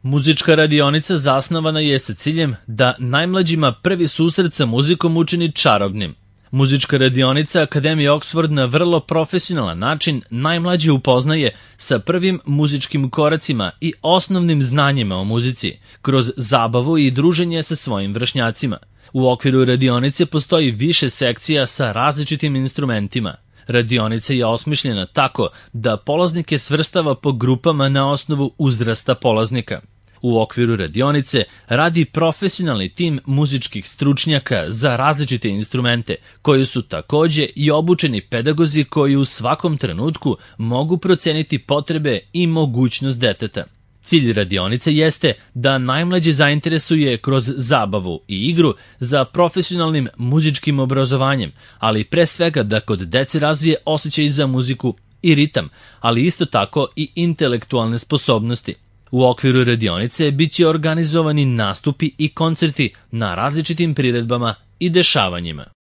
Muzička radionica zasnovana je sa ciljem da najmlađima prvi susret sa muzikom učini čarobnim. Muzička radionica Akademije Oxford na vrlo profesionalan način najmlađe upoznaje sa prvim muzičkim koracima i osnovnim znanjima o muzici, kroz zabavu i druženje sa svojim vršnjacima. U okviru radionice postoji više sekcija sa različitim instrumentima. Radionica je osmišljena tako da polaznike svrstava po grupama na osnovu uzrasta polaznika. U okviru radionice radi profesionalni tim muzičkih stručnjaka za različite instrumente, koji su takođe i obučeni pedagozi koji u svakom trenutku mogu proceniti potrebe i mogućnost deteta. Cilj radionice jeste da najmlađe zainteresuje kroz zabavu i igru za profesionalnim muzičkim obrazovanjem, ali pre svega da kod dece razvije osjećaj za muziku i ritam, ali isto tako i intelektualne sposobnosti. U okviru radionice biće organizovani nastupi i koncerti na različitim priredbama i dešavanjima.